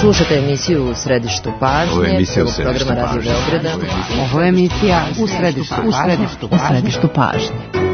Slušate emisiju U središtu pažnje. Ovo je emisija U središtu programa Radio Beograda. Ovo je emisija U središtu pažnje.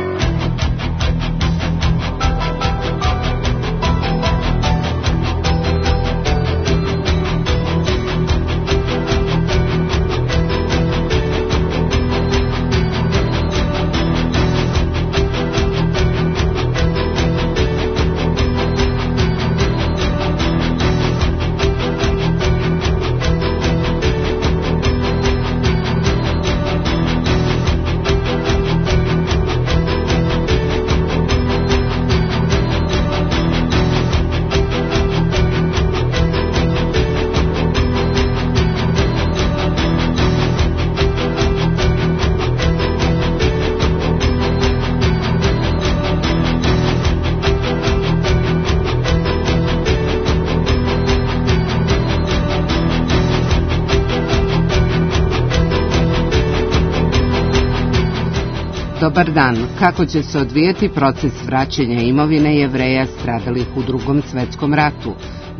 Dobar dan. Kako će se odvijati proces vraćanja imovine Jevreja stradalih u Drugom svetskom ratu?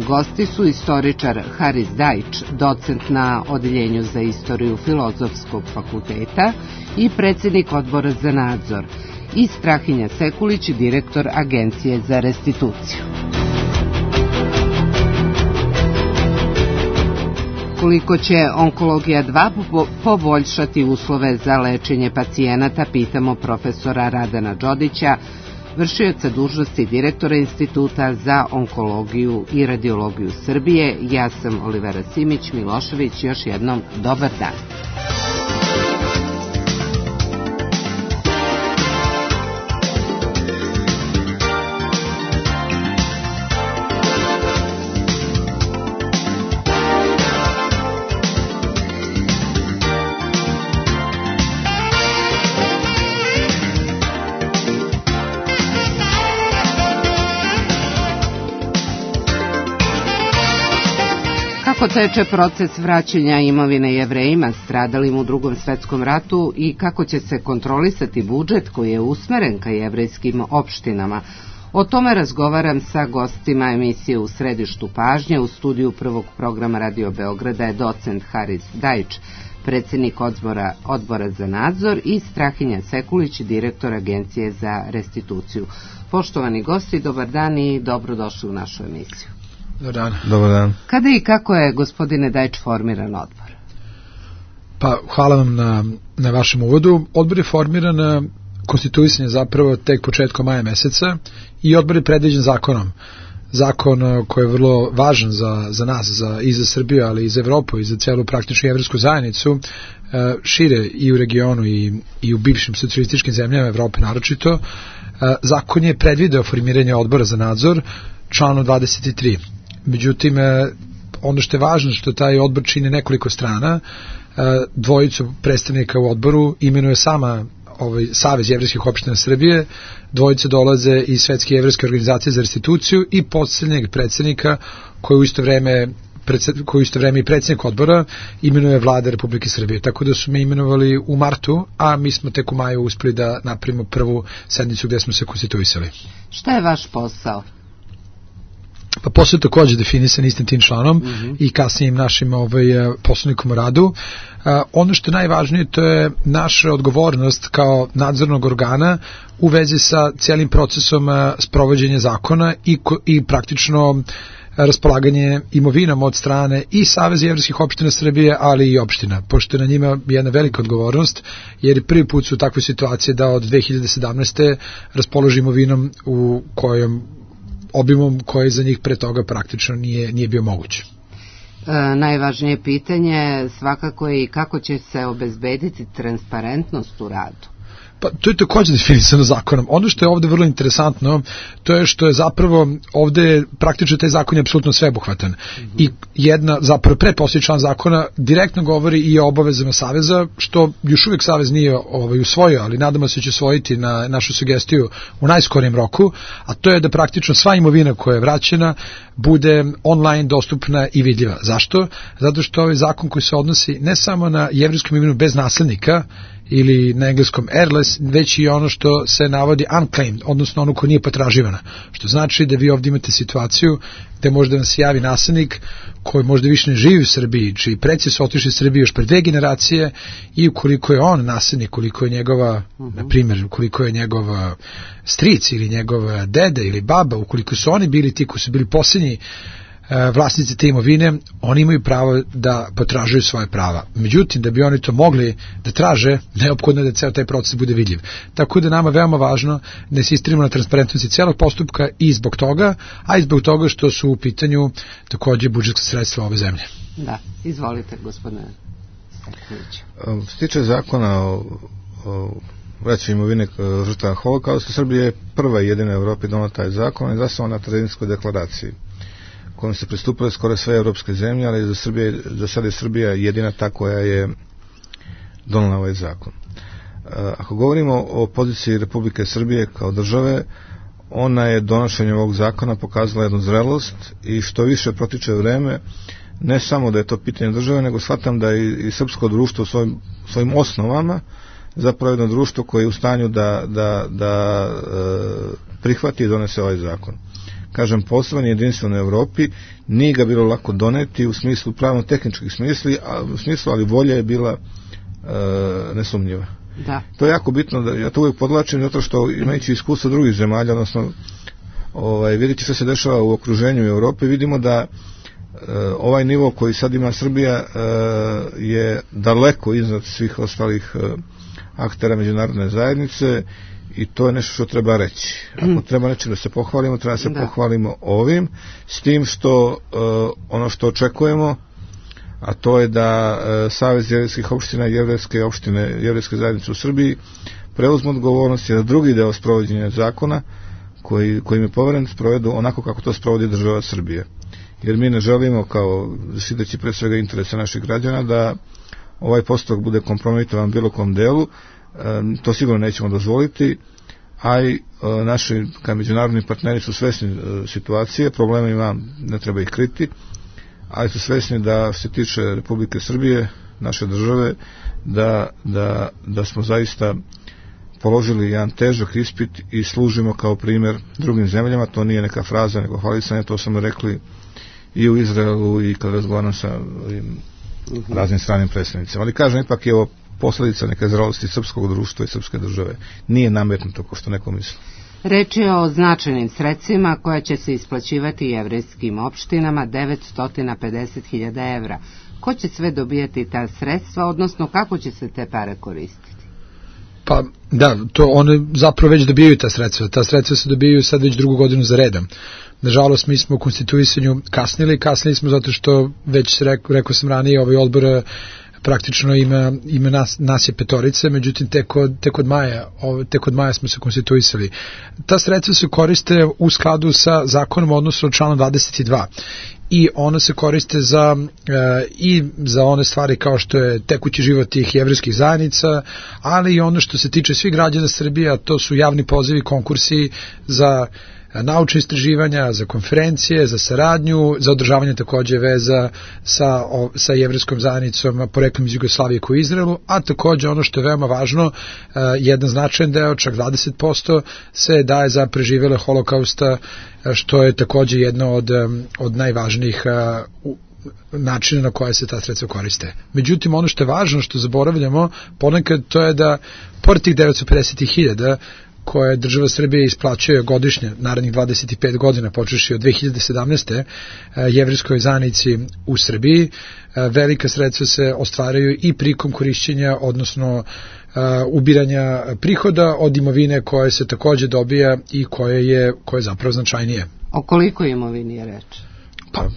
Gosti su istoričar Haris Dajić, docent na Odeljenju za istoriju Filozofskog fakulteta i predsjednik Odbora za nadzor, i Strahinja Sekulić, direktor Agencije za restituciju. Koliko će Onkologija 2 poboljšati uslove za lečenje pacijenata, pitamo profesora Radana Đodića, vršioca dužnosti direktora Instituta za onkologiju i radiologiju Srbije. Ja sam Olivera Simić Milošević, još jednom dobar dan. Kako teče proces vraćanja imovine Jevrejima stradalim u Drugom svetskom ratu i kako će se kontrolisati budžet koji je usmeren ka jevrejskim opštinama? O tome razgovaram sa gostima emisije U središtu pažnje. U studiju prvog programa Radio Beograda je docent Haris Dajić, predsjednik Odbora za nadzor, i Strahinja Sekulić, direktor Agencije za restituciju. Poštovani gosti, dobar dan i dobrodošli u našu emisiju. Dobar dan. Kada i kako je, gospodine Dajić, formiran odbor? Pa, hvala vam na vašem uvodu. Odbor je formiran, konstituisan je zapravo tek početkom maja meseca i odbor je predviđen zakonom. Zakon koji je vrlo važan za nas, i za Srbiju, ali i za Evropu i za celu praktičnu jevrijsku zajednicu, šire i u regionu i u bivšim socijalističkim zemljama Evrope naročito. Zakon je predvideo formiranje odbora za nadzor, članu 23. Međutim, ono što je važno što taj odbor čini nekoliko strana, dvojicu predstavnika u odboru imenuje sama Savez jevrejskih opština Srbije, dvojice dolaze iz Svetske jevrejske organizacije za restituciju i posljednjeg predsednika koji u isto vreme i predsjednik odbora imenuje Vlada Republike Srbije. Tako da su me imenovali u martu, a mi smo tek u maju uspeli da napravimo prvu sednicu gde smo se konstituisali. Šta je vaš posao? Pa posao je također definisan istim tim članom i kasnijim našim poslovnikom o radu. Ono što je najvažnije, to je naša odgovornost kao nadzornog organa u vezi sa cijelim procesom sprovođenja zakona i praktično raspolaganje imovinom od strane i Saveza jevrejskih opština Srbije, ali i opština, pošto je na njima jedna velika odgovornost, jer prvi put su u takvoj situaciji da od 2017. raspoloži imovinom u kojom obimom koji za njih pre toga praktično nije bio moguć. Najvažnije pitanje svakako je i kako će se obezbediti transparentnost u radu. Pa to je također definisano zakonom. Ono što je ovde vrlo interesantno, to je što je zapravo ovde praktično taj zakon je apsolutno sveobuhvatan. I zapravo pretposljednji član zakona direktno govori i o obavezama Saveza, što još uvijek Savez nije usvojio, ali nadamo se će usvojiti na našu sugestiju u najskorijem roku, a to je da praktično sva imovina koja je vraćena bude online dostupna i vidljiva. Zašto? Zato što ovaj zakon koji se odnosi ne samo na jevrejsku imovinu bez naslednika, ili na engleskom airless, već i ono što se navodi unclaimed, odnosno ono ko nije potraživana. Što znači da vi ovdje imate situaciju gde možda vam se javi nasljednik koji možda više ne živi u Srbiji, čiji preci su otišli iz Srbije još pre 2 generacije i ukoliko je on nasljednik, koliko je njegova, na primjer, koliko je njegov stric ili njegov dede ili baba, ukoliko su oni bili ti koji su bili posljednji vlasnici te imovine, oni imaju pravo da potražuju svoje prava. Međutim, da bi oni to mogli da traže, neophodno je da ceo taj proces bude vidljiv. Tako da nama veoma važno da insistiramo na transparentnosti celog postupka i zbog toga, a i zbog toga što su u pitanju takođe budžetska sredstva ove zemlje. Da, izvolite, gospodine Stekanović. Što se tiče zakona o vraćanju imovine žrtava Holokausta, Srbija je prva i jedina u Evropi donela taj zakon i zasnovan na Terezinskoj deklaraciji, kojom se pristupile skoro sve evropske zemlje, ali za sada je Srbija jedina ta koja je donela ovaj zakon. Ako govorimo o poziciji Republike Srbije kao države, ona je donošenjem ovog zakona pokazala jednu zrelost i što više protiče vreme, ne samo da je to pitanje države, nego shvatam da i srpsko društvo svojim osnovama zapravo jedno društvo koje je u stanju da prihvati i donese ovaj zakon. Kažem, poseban jedinstven u Evropi, nije ga bilo lako doneti u smislu pravno-tehničkih smislu, ali volja je bila nesumnjiva. Da. To je jako bitno, ja to uvijek podlačim, zato što imajući iskustvo drugih zemalja, odnosno vidite što se dešava u okruženju Evrope, vidimo da ovaj nivo koji sad ima Srbija je daleko iznad svih ostalih aktera međunarodne zajednice i to je nešto što treba reći. Ako treba nečim da se pohvalimo, treba da se pohvalimo ovim, s tim što ono što očekujemo, a to je da Savez jevrejskih opština i jevrejske zajednice u Srbiji preuzmu odgovornost i da drugi deo sprovođenja zakona kojim je poveren sprovedu onako kako to sprovodi država Srbije. Jer mi ne želimo, kao štiteći pre svega interese naših građana, da ovaj postupak bude kompromitovan bilo kom delu. To sigurno nećemo dozvoliti, a i naši kao međunarodni partneri su svesni situacije, problema ima, ne treba ih kriti, ali su svesni da se tiče Republike Srbije, naše države, da smo zaista položili jedan težak ispit i služimo kao primjer drugim zemljama. To nije neka fraza, nego hvalisanje, to smo rekli i u Izraelu i kad razgovaram sa raznim stranim predstavnicima. Ali kažem, ipak je ovo posljedica neke zrelosti srpskog društva i srpske države. Nije nametnuto kao što neko misli. Reč je o značajnim sredstvima koja će se isplaćivati jevrejskim opštinama, 950.000 evra. Ko će sve dobijati ta sredstva, odnosno kako će se te pare koristiti? Pa da, to one zapravo već dobijaju ta sredstva. Ta sredstva se dobijaju sad već 2. godinu za redom. Nažalost, mi smo u konstituisanju kasnili smo zato što već rekao sam ranije, ovaj odbor praktično ima nas je 5, međutim tek od maja smo se konstituisali. Ta sredstva se koriste u skladu sa zakonom, odnosno članom 22. I ona se koriste za one stvari kao što je tekući život tih jevrejskih zajednica, ali i ono što se tiče svih građana Srbije, a to su javni pozivi, konkursi za naučne istraživanja, za konferencije, za saradnju, za održavanje takođe veza sa jevrejskom zajednicom poreklom iz Jugoslavije koji je u Izraelu, a takođe ono što je veoma važno, jedan značajan deo, čak 20% se daje za preživele Holokausta, što je takođe jedno od najvažnijih načina na koje se ta sredstva koriste. Međutim, ono što je važno, što zaboravljamo ponekad, to je da pored tih 950.000 koje država Srbije isplaćuje godišnje narednih 25 godina, počeši od 2017. jevrejskoj zajednici u Srbiji, velika sredstva se ostvaraju i prikom korišćenja, odnosno ubiranja prihoda od imovine koje se takođe dobija i koje je zapravo značajnije. O koliko imovini je reč? Pa,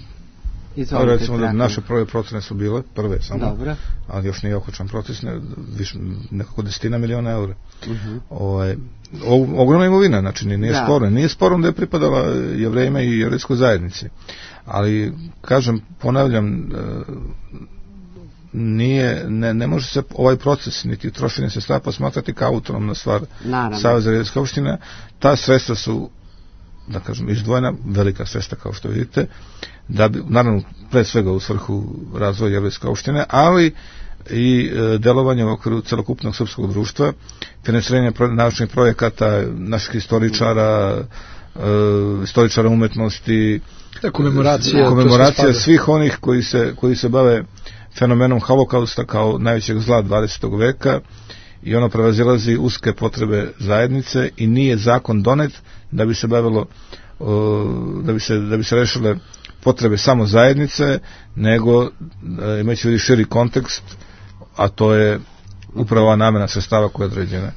recimo da naše prve procene su bile, prve samo, dobro, ali još nije okočan proces, nekako 10 miliona eura. Ogromna imovina, znači nije sporno da je pripadala Jevrejima i jevrejskoj zajednici, ali kažem, ponavljam, ne može se ovaj proces niti trošenje sredstava posmatrati kao autonomna stvar Saveza jevrejskih opština. Ta sredstva su, da kažem, izdvojena, velika sredstva kao što vidite, da bi, naravno, pre svega u svrhu razvoja jevrejske opštine, ali i delovanje u okviru celokupnog srpskog društva, finansiranje naučnih projekata naših historičara, istoričara umetnosti, komemoracija svih onih koji se bave fenomenom holokausta kao najvećeg zla 20. veka, i ono prevazilazi uske potrebe zajednice i nije zakon donet da bi se bavilo da bi se rešile potrebe samo zajednice, nego imajući širi kontekst, a to je upravo namena sredstava koja je određena.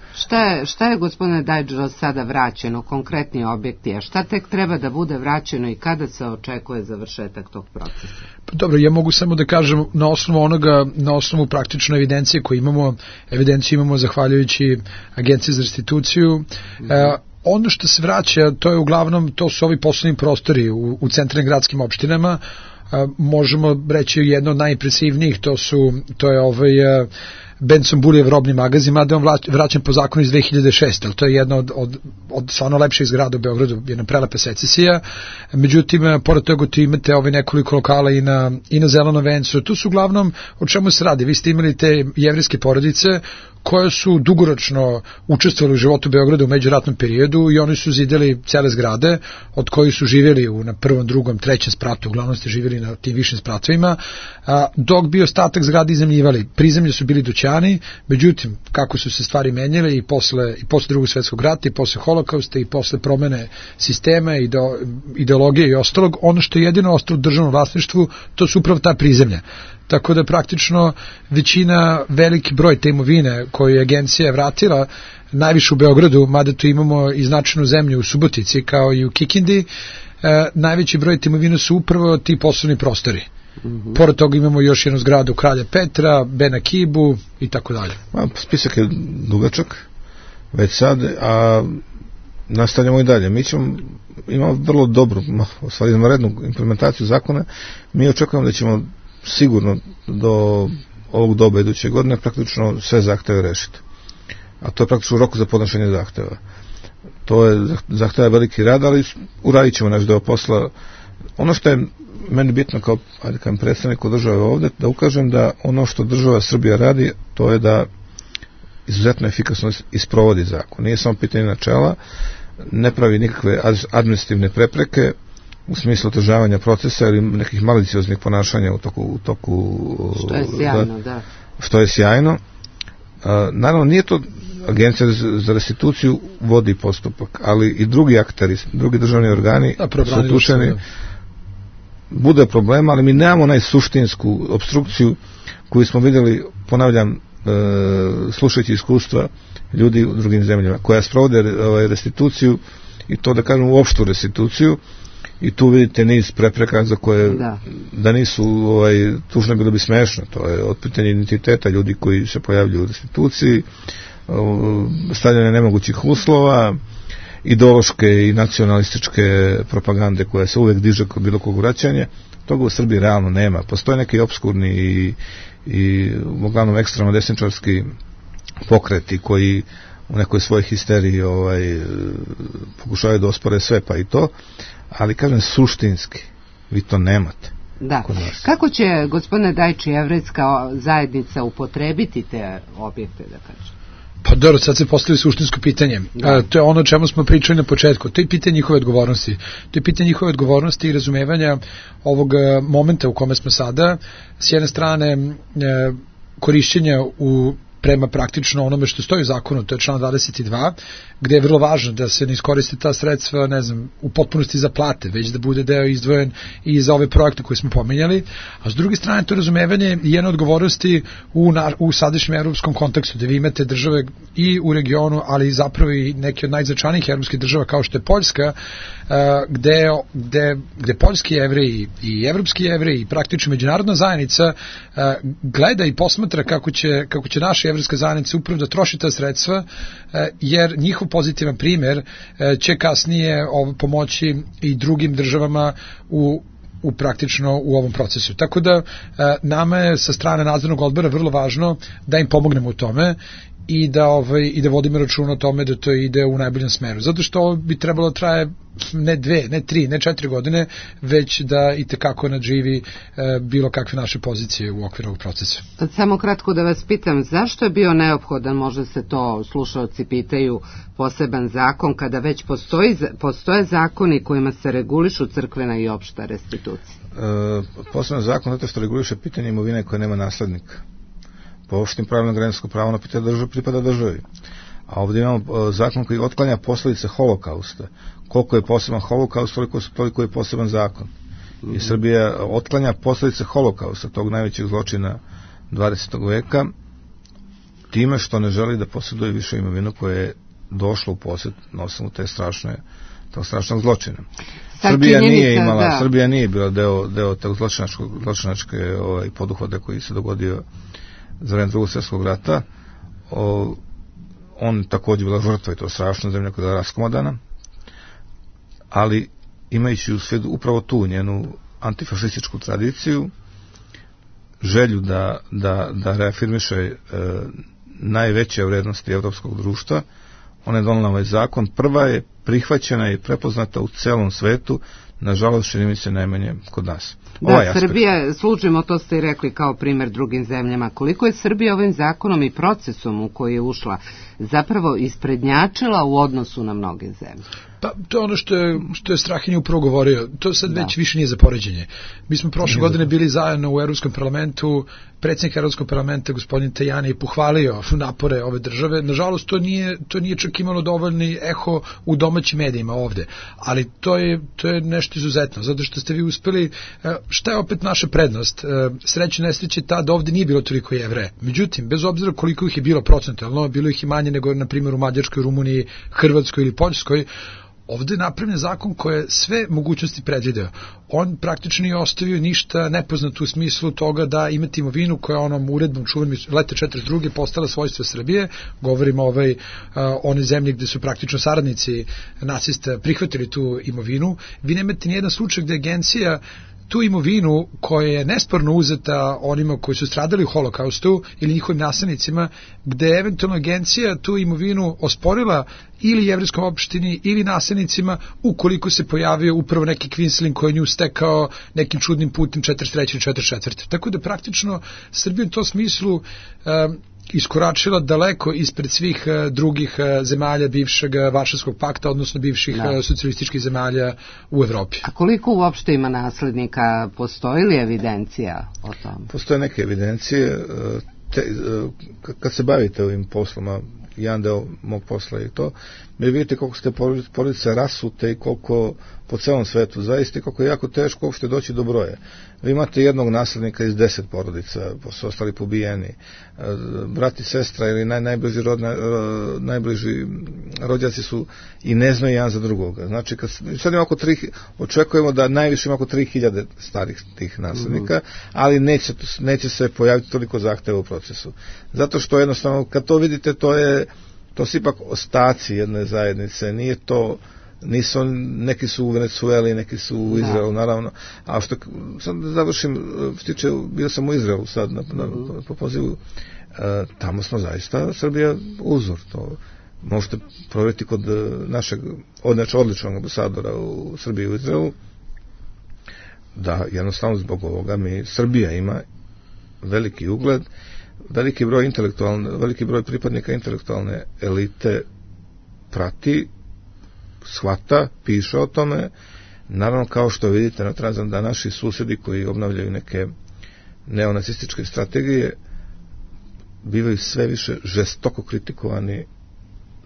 Šta je, gospodine Dajdžo, sada vraćeno, konkretni objekti, a šta tek treba da bude vraćeno i kada se očekuje završetak tog procesa? Dobro, ja mogu samo da kažem na osnovu praktične evidencije koju imamo, evidenciju imamo zahvaljujući Agenciji za restituciju. Ono što se vraća, to je uglavnom, to su ovi poslovni prostori u centralnim gradskim opštinama. Možemo reći jedno od najimpresivnijih, to je Benson Buljev robni magazin, mada je on vraćan po zakonu iz 2006. Ali to je jedna od stvarno lepših zgrada u Beogradu, jedna prelepa secesija. Međutim, pored toga tu imate nekoliko lokala i na Zelenom vencu. Tu su uglavnom, o čemu se radi? Vi ste imali te jevrejske porodice koje su dugoročno učestvovali u životu Beograda u međuratnom periodu i oni su zidali cele zgrade, od kojih su živjeli na prvom, drugom, trećem spratu, uglavnom ste živjeli na tim višim spratovima, dok bi ostatak zgrade iznajmljivali. Prizemlje su bili dućani, međutim, kako su se stvari menjale i posle drugog svetskog rata i posle holokausta i posle promene sistema, ideologije i ostalog, ono što je jedino ostalo u državnom vlasništvu, to su upravo ta prizemlja. Tako da praktično većina, veliki broj te imovine koju je agencija vratila, najviše u Beogradu, mada tu imamo i značajnu zemlju u Subotici kao i u Kikindi, najveći broj te imovine su upravo ti poslovni prostori. Pored toga imamo još jednu zgradu Kralja Petra, Bena Kibu i tako dalje. Spisak je dugačak već sad, a nastavljamo i dalje. Mi imamo vrlo dobru, stvari izvanrednu implementaciju zakona. Mi očekujemo da ćemo sigurno do ovog doba iduće godine praktično sve zahteve rešiti. A to je praktično rok za podnošenje zahteva. To je zahteva veliki rad, ali uradit ćemo naš deo posla. Ono što je meni bitno kao predstavniku države ovde, da ukažem da ono što država Srbija radi, to je da izuzetno efikasno isprovodi zakon. Nije samo pitanje načela, ne pravi nikakve administrativne prepreke u smislu otežavanja procesa ili nekih malicioznih ponašanja u toku što je sjajno, da. Što je sjajno. Naravno, nije to Agencija za restituciju vodi postupak, ali i drugi akteri, drugi državni organi su uključeni. Bude problema, ali mi nemamo najsuštinsku obstrukciju koju smo vidjeli, ponavljam, slušajući iskustva ljudi u drugim zemljama, koja sprovode restituciju, i to da kažem opštu restituciju, i tu vidite niz prepreka za koje da nisu tužno bilo bi smešno. To je od pitanja identiteta ljudi koji se pojavljuju u restituciji, stavljanje nemogućih uslova, ideološke i nacionalističke propagande koja se uvek diže kod bilo kog vraćanja. Toga u Srbiji realno nema. Postoje neki obskurni i uglavnom ekstremno desničarski pokreti koji u nekoj svojoj histeriji pokušavaju da ospore sve, pa i to, ali kažem suštinski vi to nemate. Da. Kako će, gospodine Dajči, jevrejska zajednica upotrebiti te objekte, da kažem? Pa dobro, sad se postavili suštinsko pitanje. To je ono o čemu smo pričali na početku. To je pitanje njihove odgovornosti. To je pitanje njihove odgovornosti i razumevanja ovog momenta u kome smo sada. S jedne strane, korišćenja prema praktično onome što stoji u zakonu, to je član 22, gde je vrlo važno da se ne iskoriste ta sredstva, u potpunosti za plate, već da bude deo izdvojen i za ove projekte koje smo pomenjali, a s druge strane to razumevanje i jedne odgovornosti u sadašnjem evropskom kontekstu, gde vi imate države i u regionu, ali zapravo i neke od najznačajnijih evropskih država kao što je Poljska, gde poljski jevreji i evropski jevreji i praktično međunarodna zajednica gleda i posmatra kako će naša jevrejska zajednica upravo da troši ta sredstva, jer njihov pozitivan primjer će kasnije pomoći i drugim državama praktično u ovom procesu. Tako da nama je sa strane nadzornog odbora vrlo važno da im pomognemo u tome i da vodimo računa o tome da to ide u najboljem smeru. Zato što ovo bi trebalo traje ne 2, ne 3, ne 4 godine, već da i tekako nadživi bilo kakve naše pozicije u okviru ovog procesa. Samo kratko da vas pitam, zašto je bio neophodan, možda se to slušaoci pitaju, poseban zakon kada već postoje zakoni kojima se regulišu crkvena i opšta restitucija? Poseban zakon zato što reguliše pitanje imovine koja nema naslednika. Po opštim pravilima građansko pravo na pitanje pripada državi. A ovdje imamo zakon koji otklanja posljedice holokausta. Koliko je poseban holokaust, toliko je poseban zakon. I Srbija otklanja posljedice holokausta, tog najvećeg zločina 20. veka, time što ne želi da posjeduje više imovinu koja je došla u posjed na osnovu tog strašnog zločina. Srbija nije bila deo tog zločinačke poduhvata koji se dogodio za vreme Drugog svjetskog rata. On također bila žrtva i to strašno, zemlja koja je raskomodana, ali imajući u svijetu upravo tu njenu antifašističku tradiciju, želju da reafirmiše najveće vrednosti evropskog društva, ona je donela ovaj zakon. Prva je prihvaćena i prepoznata u celom svetu, nažalost čini mi se najmanje kod nas. Da, Srbija, služimo, to ste i rekli kao primjer drugim zemljama, koliko je Srbija ovim zakonom i procesom u koji je ušla zapravo isprednjačila u odnosu na mnoge zemlje? Pa to je ono što je Strahinja upravo govorio, to sad već više nije za poređenje. Mi smo prošle godine bili zajedno u Evropskom parlamentu, predsjednik Evropskog parlamenta gospodin Tajani je pohvalio napore ove države. Nažalost to nije čak imalo dovoljni eho u domaćim medijima ovde, ali to je nešto izuzetno, zato što ste vi uspeli. Šta je opet naša prednost? Sreće nesreće tada ovde nije bilo toliko Jevreja. Međutim, bez obzira koliko ih je bilo procentualno, bilo ih i manje nego na primjer u Mađarskoj, Rumuniji, Hrvatskoj ili Poljskoj, ovde je napravljen zakon koji je sve mogućnosti predvideo. On praktično nije ostavio ništa nepoznato u smislu toga da imate imovinu koja je onom uredbom čuvenom leta 42. postala svojstvo Srbije. Govorimo o one zemlje gde su praktično saradnici nacista prihvatili tu imovinu. Vi nemate nijedan slučaj gde agencija tu imovinu koja je nesporno uzeta onima koji su stradali u holokaustu ili njihovim naslednicima, gde je eventualno agencija tu imovinu osporila ili jevrejskom opštini ili naslednicima ukoliko se pojavio upravo neki kvinslin koji je nju stekao nekim čudnim putem 43. ili 44. Tako da praktično Srbija u tom smislu iskoračila daleko ispred svih drugih zemalja bivšeg Varšavskog pakta, odnosno bivših socijalističkih zemalja u Evropi. A koliko uopšte ima naslednika? Postoji li evidencija o tom? Postoje neke evidencije. Kad se bavite ovim posloma, jedan deo mog posla je to, mi vidite koliko ste porodice rasute i koliko po celom svetu, zaista koliko je jako teško uopšte doći do broja. Vi imate jednog naslednika iz 10 porodica, su ostali pobijeni, brat i sestra ili najbliži rođaci su i ne znaju jedan za drugoga. Znači, sad ima očekujemo da najviše ima oko 3000 starih tih naslednika, ali neće se pojaviti toliko zahteva u procesu. Zato što jednostavno, kad to vidite, to su ipak ostaci jedne zajednice, nije to, neki su u Venezueli, neki su u Izraelu, naravno, a što sad završim, bio sam u Izraelu sad po pozivu, tamo smo zaista Srbija uzor, to možete provjeriti kod našeg odličnog ambasadora u Srbiji u Izraelu, da jednostavno zbog ovoga Srbija ima veliki ugled, veliki broj pripadnika intelektualne elite prati, shvata, piše o tome. Naravno, kao što vidite na Tranzam, da naši susjedi koji obnavljaju neke neonacističke strategije bivaju sve više žestoko kritikovani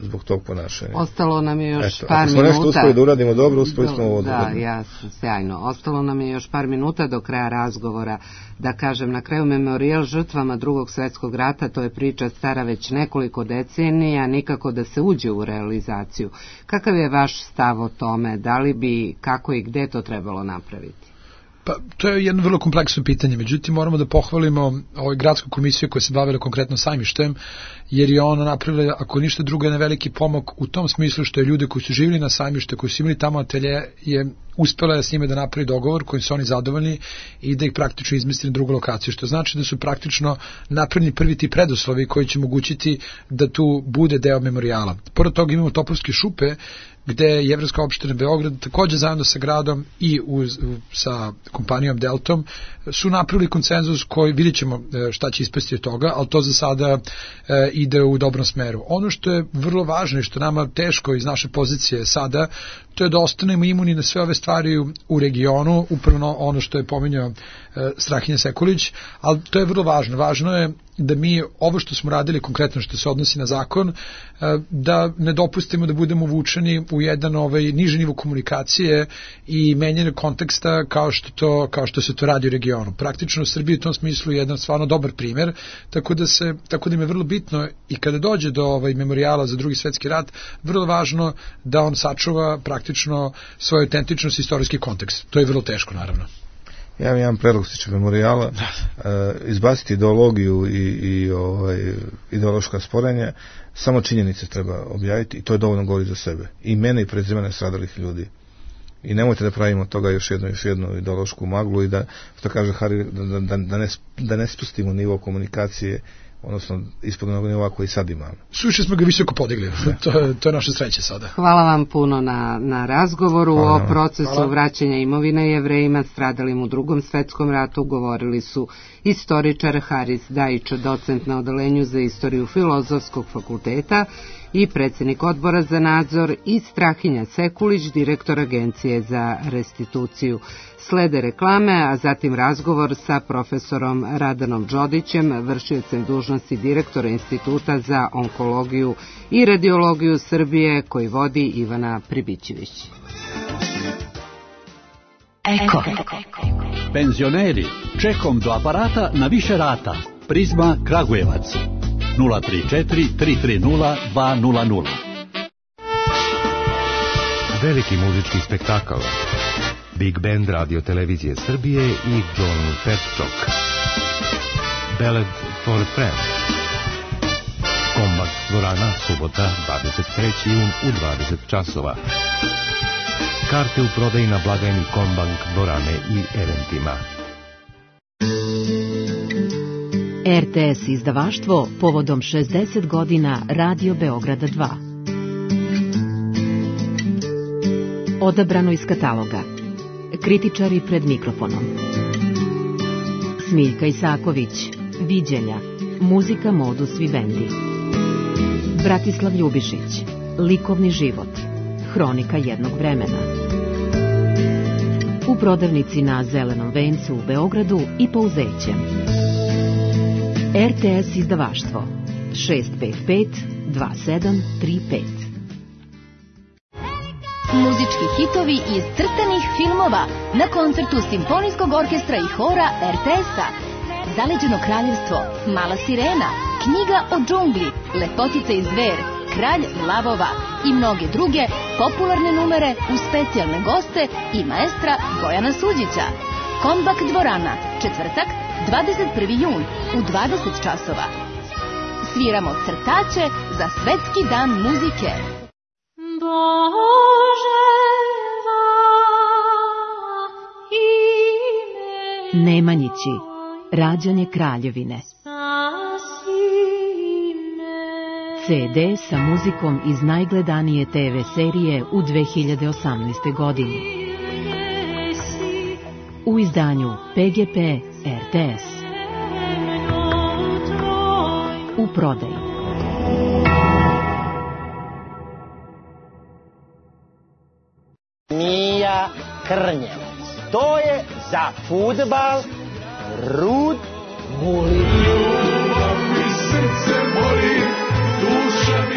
zbog tog ponašanja. Ostalo nam je još par minuta. Ako smo nešto uspeli da uradimo dobro, uspeli smo ovo da, jasno, sjajno. Ostalo nam je još par minuta do kraja razgovora. Da kažem, na kraju memorijal žrtvama Drugog svjetskog rata, to je priča stara već nekoliko decenija, nikako da se uđe u realizaciju. Kakav je vaš stav o tome? Da li bi, kako i gde to trebalo napraviti? Pa, to je jedno vrlo kompleksno pitanje, međutim moramo da pohvalimo gradsku komisiju koja se bavila konkretno sajmištem, jer je ona napravila, ako ništa drugo, jedan veliki pomak u tom smislu što je ljude koji su živjeli na sajmište, koji su imali tamo atelje, je uspela je s njima da napravi dogovor kojim su oni zadovoljni i da ih praktično izmesti na drugu lokaciju, što znači da su praktično napravljeni prvi ti preduslovi koji će omogućiti da tu bude deo memorijala. Pored toga imamo Topovske šupe, gde je Jevrejska opština Beograd takođe zajedno sa gradom i sa kompanijom Deltom su napravili konsenzus koji vidjet ćemo šta će ispasti od toga, ali to za sada ide u dobrom smeru. Ono što je vrlo važno i što nama teško iz naše pozicije sada, to je da ostanemo imuni na sve ove stvari u regionu, upravo ono što je pominjao Strahinja Sekulić, ali to je vrlo važno. Važno je da mi ovo što smo radili konkretno što se odnosi na zakon, da ne dopustimo da budemo vučeni u jedan niži nivo komunikacije i menjanje konteksta kao što se to radi u regionu. Praktično u Srbiji u tom smislu je jedan stvarno dobar primer, tako da im je vrlo bitno i kada dođe do memorijala za Drugi svetski rat, vrlo važno da on sačuva praktično svoju autentičnost i istorijski kontekst. To je vrlo teško, naravno. Ja imam jedan predlog stiče memorijala, izbaciti ideologiju i ideološka sporenja, samo činjenice treba objaviti i to je dovoljno govori za sebe. Imena i prezimena stradalih ljudi. I nemojte da pravimo toga još jednu ideološku maglu i da, što kaže Hari, da ne spustimo nivo komunikacije, odnosno ispod onog nivoa koji sad imamo. Suviše smo ga visoko podigli, to je naša sreća sada. Hvala vam puno na razgovoru. O procesu vraćanja imovine Jevrejima stradalim u Drugom svetskom ratu govorili su istoričar Haris Dajić, docent na odeljenju za istoriju Filozofskog fakulteta i predsjednik odbora za nadzor, i Strahinja Sekulić, direktor Agencije za restituciju. Slede reklame, a zatim razgovor sa profesorom Radanom Đodićem, vršiocem dužnosti direktora Instituta za onkologiju i radiologiju Srbije, koji vodi Ivana Pribićević. Eko. Penzioneri, čekom do aparata na više rata. Prizma Kragujevac. 034 330 200. Veliki muzički spektakl. Big Band Radio Televizije Srbije i John Petchok. Ballad for a Friend. Kombak dvorana, subota, 23. jun u 20 časova. Karte u prodaji na blagajni Kombank dvorane i eventima. RTS izdavaštvo povodom 60 godina Radio Beograda 2. Odabrano iz kataloga. Kritičari pred mikrofonom. Smiljka Isaković, Viđenja, muzika Modus Vivendi. Bratislav Ljubišić, Likovni život, hronika jednog vremena. U prodavnici na Zelenom vencu u Beogradu i Pouzećem. RTS izdavaštvo 655 2735. Muzički hitovi iz crtanih filmova na koncertu Simfonijskog orkestra i hora RTS-a. Zaleđeno kraljevstvo, Mala sirena, Knjiga o džungli, Lepotica i zver, Kralj lavova i mnoge druge popularne numere uz specijalne goste i maestra Bojana Suđića. Kombak dvorana, četvrtak, 21. jun u 20 časova. Sviramo crtače za Svetski dan muzike. Nemanjići, rađanje kraljevine. CD sa muzikom iz najgledanije TV serije u 2018. godini. U izdanju PGP RTS. U prodaji. Mija Krnjevac. To je za fudbal Rud Guli.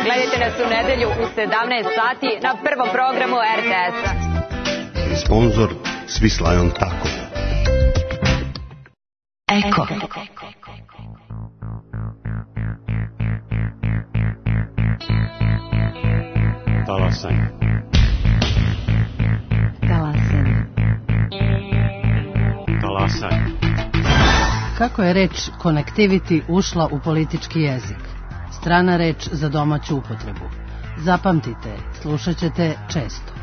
Gledajte nas u nedelju u 17 sati na prvom programu RTS-a. Sponzor Swiss Tako. Eko. Talasaj. Kako je reč connectivity ušla u politički jezik? Strana reč za domaću upotrebu. Zapamtite, slušat ćete često.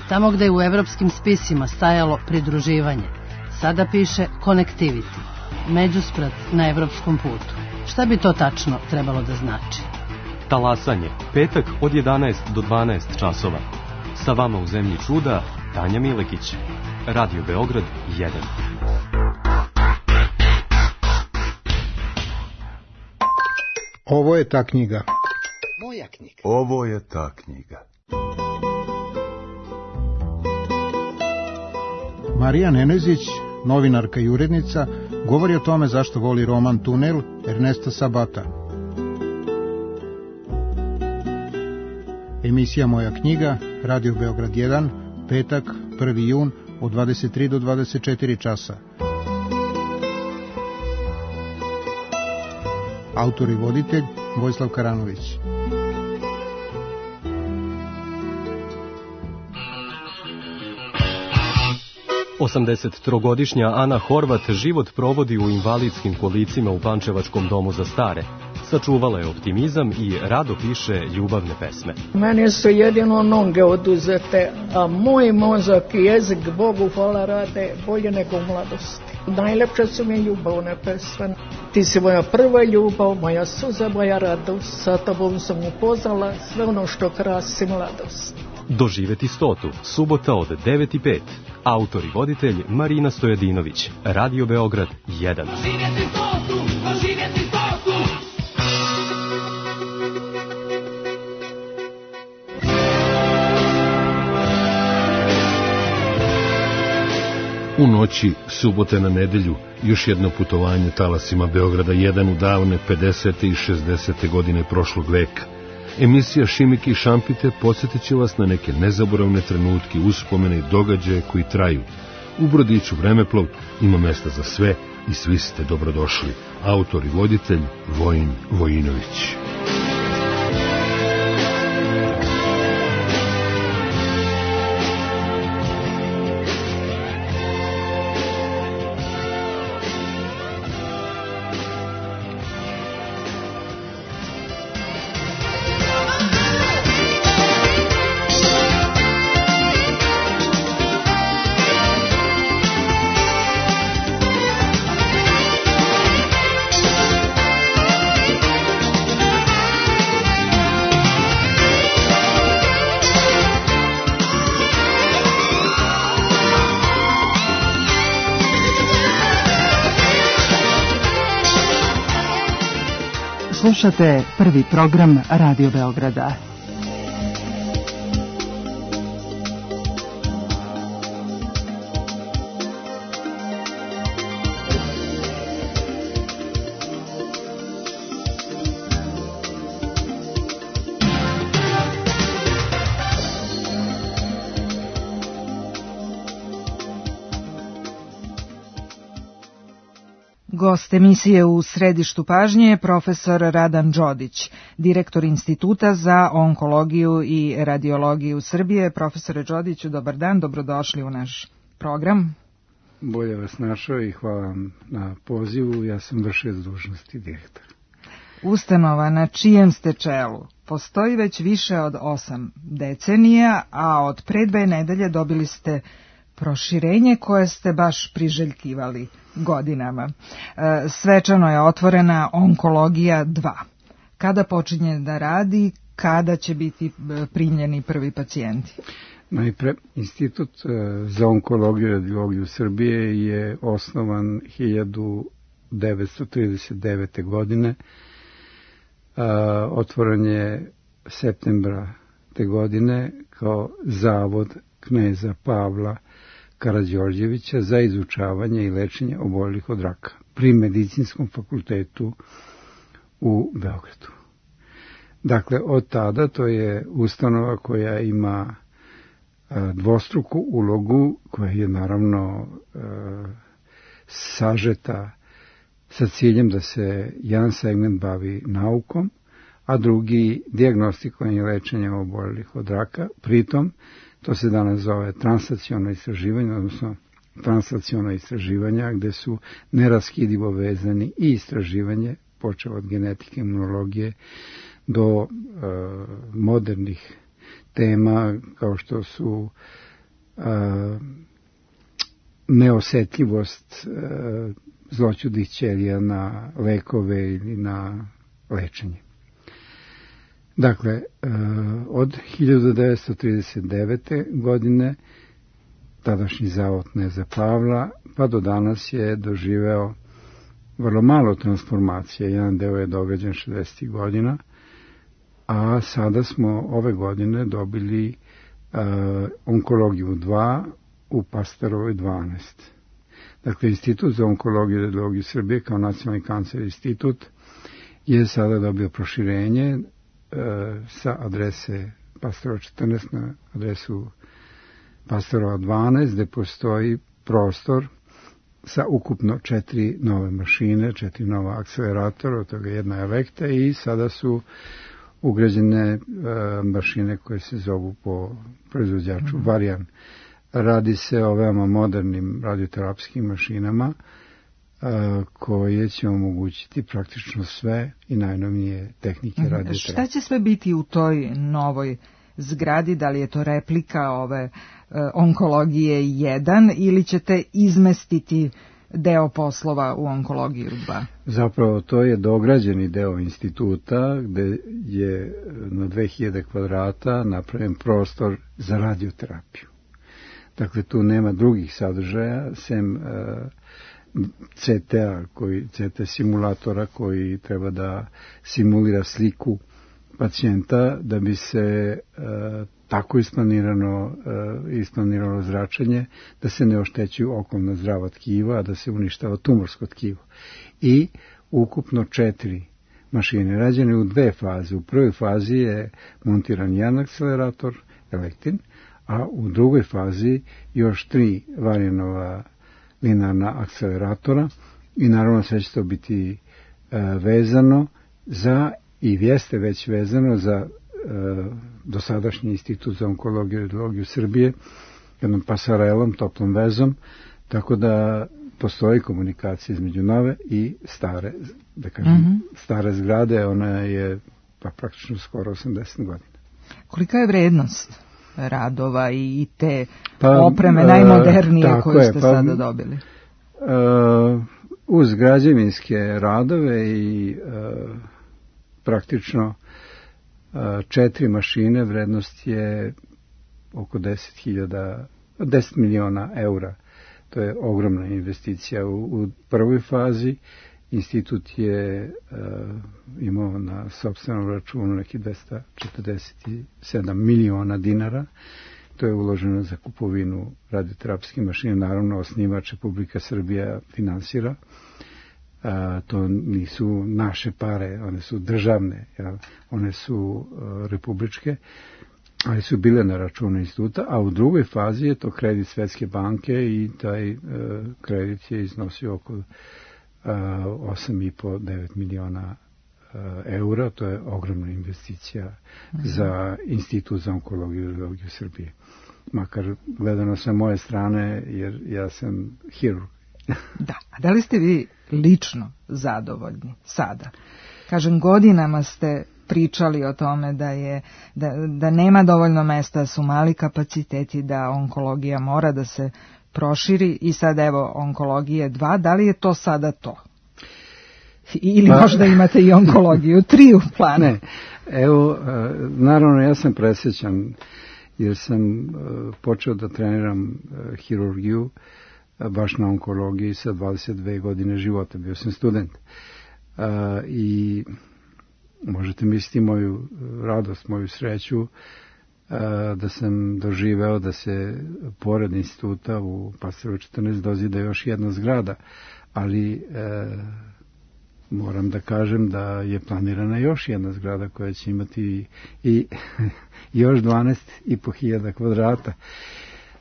Tamo gde je u evropskim spisima stajalo pridruživanje, sada piše connectivity, međusprat na evropskom putu. Šta bi to tačno trebalo da znači? Talasanje, petak od 11 do 12 časova. Sa vama u zemlji čuda, Tanja Milekić. Radio Beograd 1. Ovo je ta knjiga. Moja knjiga. Ovo je ta knjiga. Marija Nenezić, novinarka i urednica, govori o tome zašto voli roman Tunel Ernesta Sabata. Emisija Moja knjiga, Radio Beograd 1, petak, 1. jun, od 23 do 24 časa. Autor i voditelj Vojislav Karanović. Osamdesettrogodišnja Ana Horvat život provodi u invalidskim kolicima u Pančevačkom domu za stare. Sačuvala je optimizam i rado piše ljubavne pesme. Meni su jedino noge oduzete, a moj mozak i jezik, Bogu hvala, rade bolje nego u mladosti. Najlepše su mi ljubavne pesme. Ti si moja prva ljubav, moja suza, moja radost. Sa tobom sam upoznala sve ono što krasi mladost. Doživeti 100. Subota od 9:05. Autor i voditelj Marina Stojadinović. Radio Beograd 1. Doživjeti 100. Doživjeti 100. U noći subote na nedelju još jedno putovanje talasima Beograda 1 u davne 50. i 60. godine prošlog veka. Emisija Šimike i Šampite podsjetit će vas na neke nezaboravne trenutke, uspomene i događaje koji traju. U brodiću Vremeplov ima mesta za sve i svi ste dobrodošli. Autor i voditelj Vojin Vojinović. Slušate prvi program Radio Beograda. Gost emisije u središtu pažnje je profesor Radan Đodić, direktor Instituta za onkologiju i radiologiju Srbije. Profesore Đodiću, dobar dan, dobrodošli u naš program. Bolje vas našao i hvala vam na pozivu, ja sam vršilac dužnosti direktora. Ustanova na čijem ste čelu postoji već više od 8 decenija, a od pre 2 nedelje dobili ste proširenje koje ste baš priželjkivali godinama. Svečano je otvorena onkologija 2. Kada počinje da radi, kada će biti primljeni prvi pacijenti? Najpre, Institut za onkologiju i radiologiju Srbije je osnovan 1939. godine. Otvoren je septembra te godine kao zavod kneza Pavla Karađorđevića za izučavanje i lečenje oboljelih od raka pri Medicinskom fakultetu u Beogradu. Dakle, od tada to je ustanova koja ima dvostruku ulogu, koja je naravno sažeta sa ciljem da se jedan segment bavi naukom, a drugi dijagnostikovanje i lečenje oboljelih od raka. Pritom, to se danas zove translaciono istraživanje, odnosno translaciono istraživanja, gde su neraskidivo vezani i istraživanje, počeo od genetike, imunologije, do modernih tema kao što su neosetljivost zloćudnih ćelija na lekove ili na lečenje. Dakle, od 1939. godine tadašnji zavod Kneza Pavla pa do danas je doživeo vrlo malo transformacije. Jedan deo je događan 60. godina, a sada smo ove godine dobili onkologiju 2 u Pastorovoj 12. Dakle, Institut za onkologiju i radiologiju Srbije kao nacionalni kancer institut je sada dobio proširenje sa adrese Pastorova 14 na adresu Pastorova 12, gde postoji prostor sa ukupno 4 nove mašine, 4 nova akceleratora, od toga jedna Elekta, i sada su ugrađene mašine koje se zovu po proizvođaču Varian. Radi se o veoma modernim radioterapijskim mašinama koje će omogućiti praktično sve i najnovije tehnike radioterapije. Šta će sve biti u toj novoj zgradi? Da li je to replika ove onkologije 1 ili ćete izmestiti deo poslova u onkologiju 2? Zapravo to je dograđeni deo instituta gde je na 2000 kvadrata napravljen prostor za radioterapiju. Dakle, tu nema drugih sadržaja, sem CT simulatora koji treba da simulira sliku pacijenta da bi se tako isplanirano zračenje da se ne oštećuju okolna zdrava tkiva, a da se uništava tumorsko tkivo. I ukupno 4 mašine rađene u 2 faze. U prvoj fazi je montiran jedan akcelerator, Elektin, a u drugoj fazi još 3 Varianova linearna akceleratora i naravno sve će to biti vezano za, i jeste već vezano za dosadašnji Institut za onkologiju i radiologiju Srbije, jednom pasarelom, toplom vezom, tako da postoji komunikacija između nove i stare, da kažem, stare zgrade, ona je pa praktično skoro 80 godina. Kolika je vrednost radova i te opreme najmodernije koju ste sada dobili? Uz građevinske radove i praktično 4 mašine, vrednost je oko 10 miliona eura. To je ogromna investicija. U prvoj fazi institut je imao na sopstvenom računu neki 247 miliona dinara. To je uloženo za kupovinu radioterapijske mašine. Naravno, osnivač Republika Srbija finansira. To nisu naše pare, one su državne, one su republičke, ali su bile na računu instituta, a u drugoj fazi je to kredit Svetske banke i taj kredit je iznosio oko 8,5-9 miliona eura. To je ogromna investicija za Institut za onkologiju i radiologiju Srbije. Makar gledano sa moje strane, jer ja sam hirurg. Da, a da li ste vi lično zadovoljni sada? Kažem, godinama ste pričali o tome da nema dovoljno mesta, su mali kapaciteti, da onkologija mora da se proširi i sad evo onkologije 2, da li je to sada to? Ili možda imate i onkologiju 3 u planu? Ne, evo, naravno ja sam presrećan jer sam počeo da treniram hirurgiju baš na onkologiji sa 22 godine života, bio sam student. I možete misliti moju radost, moju sreću da sam doživeo da se pored instituta u Pastorovoj 14 dozida još jedna zgrada, ali moram da kažem da je planirana još jedna zgrada koja će imati i još 12.500 kvadrata.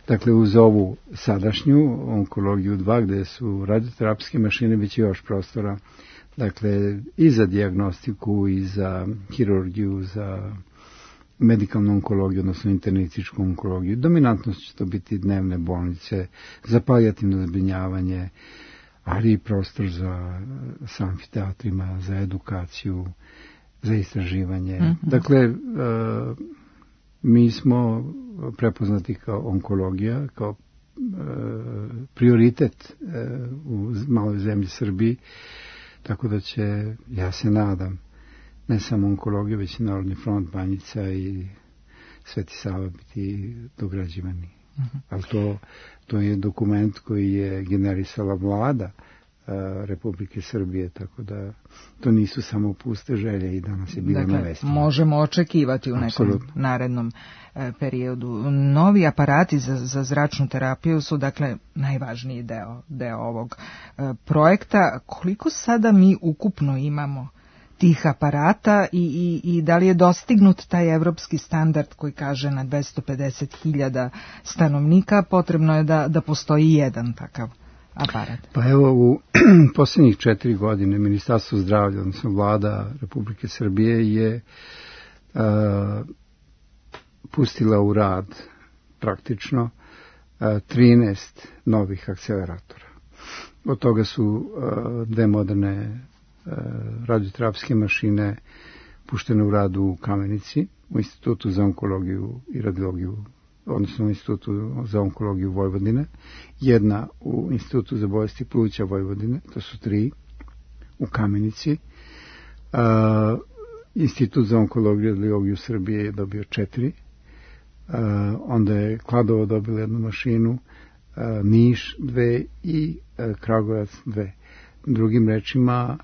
Dakle, uz ovu sadašnju onkologiju 2, gde su radioterapijske mašine, bit će još prostora. Dakle, i za dijagnostiku, i za hirurgiju, za medikalnu onkologiju, odnosno internističku onkologiju. Dominantno će to biti dnevne bolnice, za palijativno zbrinjavanje, ali i prostor sa amfiteatrima, za edukaciju, za istraživanje. Dakle, mi smo prepoznati kao onkologija, kao prioritet u maloj zemlji Srbiji, tako da će, ja se nadam, ne samo onkologija, već i Narodni front, Banjica i Sveti Sava biti dograđivani. Ali to je dokument koji je generisala vlada Republike Srbije, tako da to nisu samo puste želje i danas je bilo na vestima. Možemo očekivati u nekom narednom periodu. Novi aparati za zračnu terapiju su dakle najvažniji deo ovog projekta. Koliko sada mi ukupno imamo tih aparata i da li je dostignut taj evropski standard koji kaže na 250.000 stanovnika potrebno je da postoji jedan takav aparat? Pa evo, u posljednjih 4 godine Ministarstvo zdravlja, odnosno vlada Republike Srbije je pustila u rad praktično 13 novih akceleratora. Od toga su 2 moderne radioterapijske mašine puštene u rad u Kamenici, u Institutu za onkologiju i radiologiju, odnosno u Institutu za onkologiju Vojvodine, jedna u Institutu za bolesti pluća Vojvodine, to su 3, u Kamenici. Institut za onkologiju i radiologiju Srbije je dobio 4, onda je Kladovo dobilo 1 mašinu, Niš 2 i Kragujevac 2. Drugim rečima,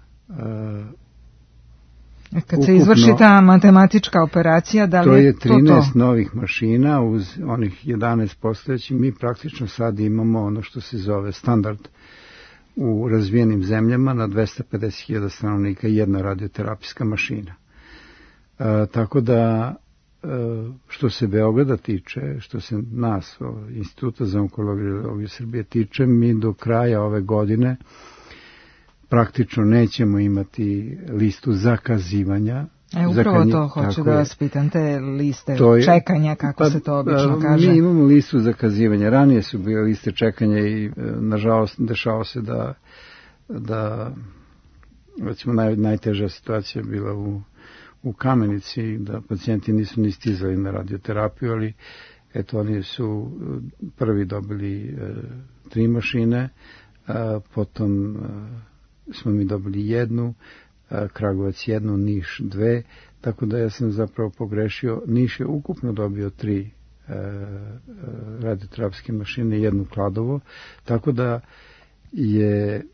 kad se izvrši ta matematička operacija, da li to je 13 novih mašina uz onih 11 postojećih. Mi praktično sad imamo ono što se zove standard u razvijenim zemljama na 250.000 stanovnika jedna radioterapijska mašina. Tako da što se Beograda tiče, što se nas, Instituta za onkologiju i radiologiju Srbije tiče, mi do kraja ove godine praktično nećemo imati listu zakazivanja. Upravo to hoću da vas pitam, te liste čekanja, kako se to obično kaže. Mi imamo listu zakazivanja. Ranije su bile liste čekanja i nažalost dešava se da recimo najteža situacija je bila u Kamenici, da pacijenti nisu ni stizali na radioterapiju, ali eto oni su prvi dobili 3 mašine, potom smo mi dobili 1, Kragujevac 1, Niš 2, tako da ja sam zapravo pogrešio. Niš je ukupno dobio 3 radioterapijske mašine, 1 Kladovo, tako da je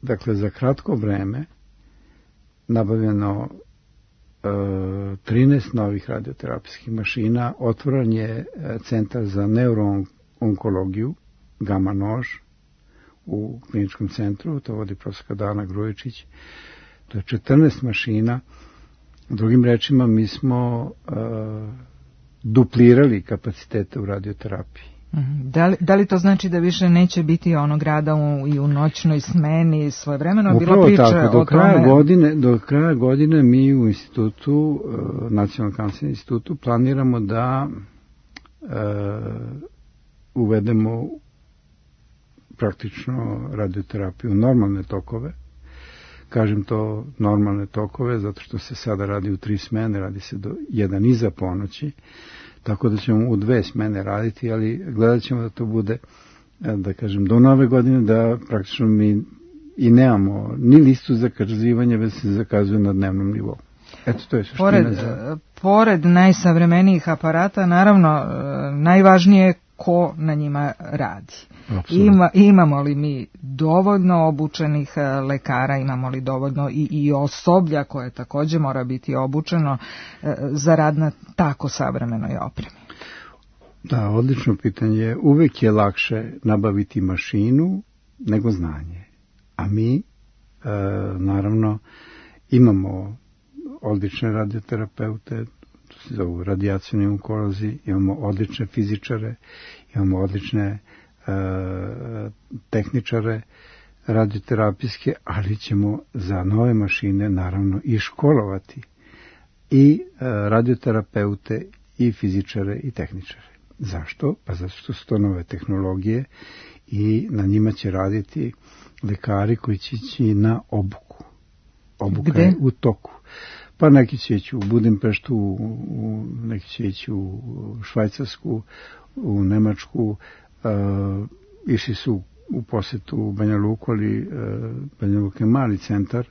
dakle za kratko vreme nabavljeno 13 novih radioterapijskih mašina, otvoren je centar za neuroonkologiju Gama nož u kliničkom centru, to vodi profesorka Dana Grujičić. To je 14 mašina. Drugim rečima, mi smo duplirali kapacitete u radioterapiji. Da li to znači da više neće biti onog rada i u noćnoj smeni svojevremeno? Bilo priče o tome. Do kraja godine mi u institutu, Nacionalnom kancerskom institutu, planiramo da uvedemo praktično radioterapiju normalne tokove. Kažem to normalne tokove zato što se sada radi u 3 smene, radi se do 1 iza ponoći, tako da ćemo u 2 smene raditi, ali gledat ćemo da to bude, da kažem, do nove godine, da praktično mi i nemamo ni listu zakazivanja, već se zakazuje na dnevnom nivou. Eto, to je suština. Pored najsavremenijih aparata, naravno, najvažnije je ko na njima radi. Imamo li mi dovoljno obučenih lekara, imamo li dovoljno i osoblja koje također mora biti obučeno za rad na tako savremenoj opremi? Da, odlično pitanje. Uvek je lakše nabaviti mašinu nego znanje. A mi, naravno, imamo odlične radioterapeute, to se zovu radijacioni onkolozi, imamo odlične fizičare, imamo odlične tehničare radioterapijske, ali ćemo za nove mašine naravno i školovati i radioterapeute i fizičare i tehničare. Zašto? Pa zato što su to nove tehnologije i na njima će raditi lekari koji će ići na obuku. Obuka je u toku. Pa neki će ići u Budimpeštu, neki će ići u Švajcarsku, u Nemačku, išli su u posetu Banja Luku, ali Banja Luka je mali centar,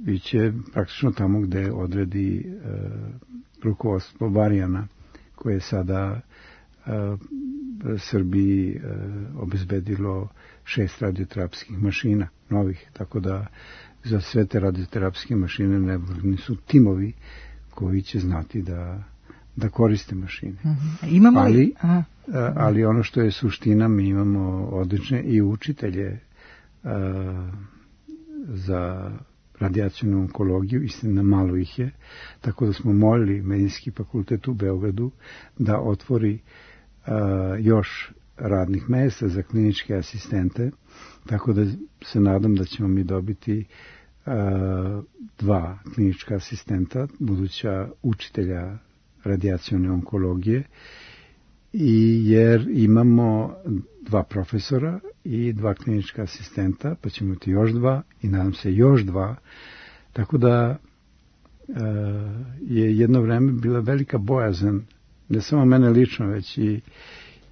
iće praktično tamo gde odredi rukovodstvo Varijana, koje je sada Srbiji obezbedilo 6 radioterapijskih mašina novih, tako da za sve te radioterapijske mašine neophodni su timovi koji će znati da koriste mašine. Imamo li... Ali ono što je suština, mi imamo odlične i učitelje za radijacijnu onkologiju, istina malo ih je, tako da smo molili Medicinski fakultet u Beogradu da otvori još radnih mesta za kliničke asistente, tako da se nadam da ćemo mi dobiti 2 klinička asistenta, buduća učitelja radijacijone onkologije, i jer imamo 2 profesora i 2 klinička asistenta, pa ćemo imati još 2 i nadam se još 2, tako da je jedno vreme bila velika bojazan, ne samo mene lično, već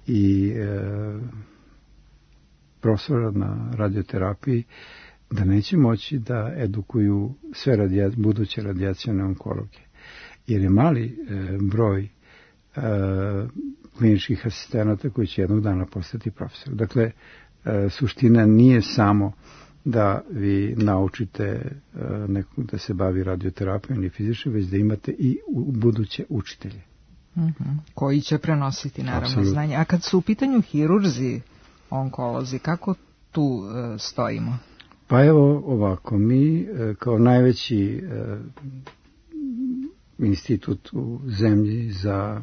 i profesora na radioterapiji, da neće moći da edukuju sve buduće radijacijone onkologe. Jer je mali broj kliničkih asistenata koji će jednog dana postati profesor. Dakle, suština nije samo da vi naučite nekog da se bavi radioterapijom ili fizičnom, već da imate i buduće učitelje. Koji će prenositi, naravno, Absolutno. znanje. A kad su u pitanju hirurzi, onkolozi, kako tu stojimo? Pa evo ovako, mi kao najveći institut u zemlji za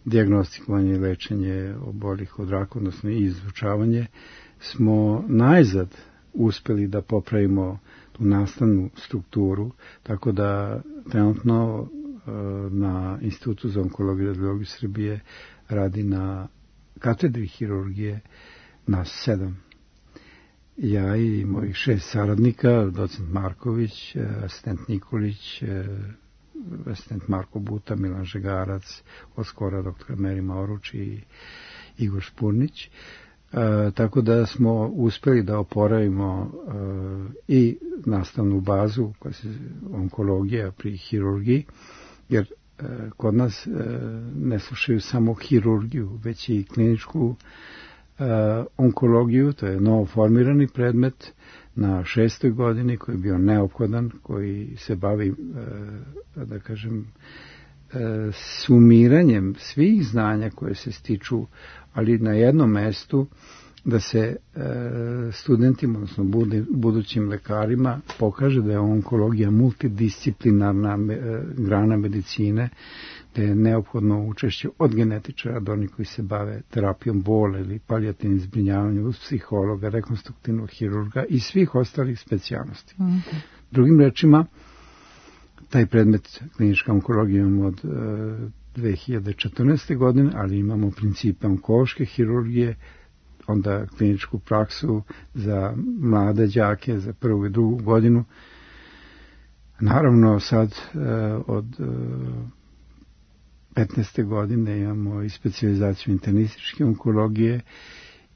dijagnostikovanje i lečenje oboljelih od raka, odnosno i izučavanje, smo najzad uspeli da popravimo tu nastavnu strukturu, tako da trenutno na Institutu za onkologiju i radiologiju Srbije radi na katedri hirurgije nas 7. Ja i mojih 6 saradnika, docent Marković, asistent Nikolić, asistent Marko Buta, Milan Žegarac, od skora dr. Meri Mauruč i Igor Špurnić. Tako da smo uspeli da oporavimo i nastavnu bazu koja se onkologija pri hirurgiji, jer kod nas ne slušaju samo hirurgiju, već i kliničku onkologiju, to je novo formirani predmet na 6. godini koji je bio neophodan, koji se bavi, da kažem, sumiranjem svih znanja koje se stiču, ali na jednom mestu, da se studentima, odnosno budućim lekarima, pokaže da je onkologija multidisciplinarna grana medicine, da je neophodno učešće od genetičara do onih koji se bave terapijom bola ili palijativnim zbrinjavanjem, uz psihologa, rekonstruktivnog hirurga i svih ostalih specijalnosti. Drugim rečima, taj predmet klinička onkologija imamo od 2014. godine, ali imamo principe onkološke hirurgije, onda kliničku praksu za mlade đake za 1. i 2. godinu. Naravno sad od 15. godine imamo i specijalizaciju internističke onkologije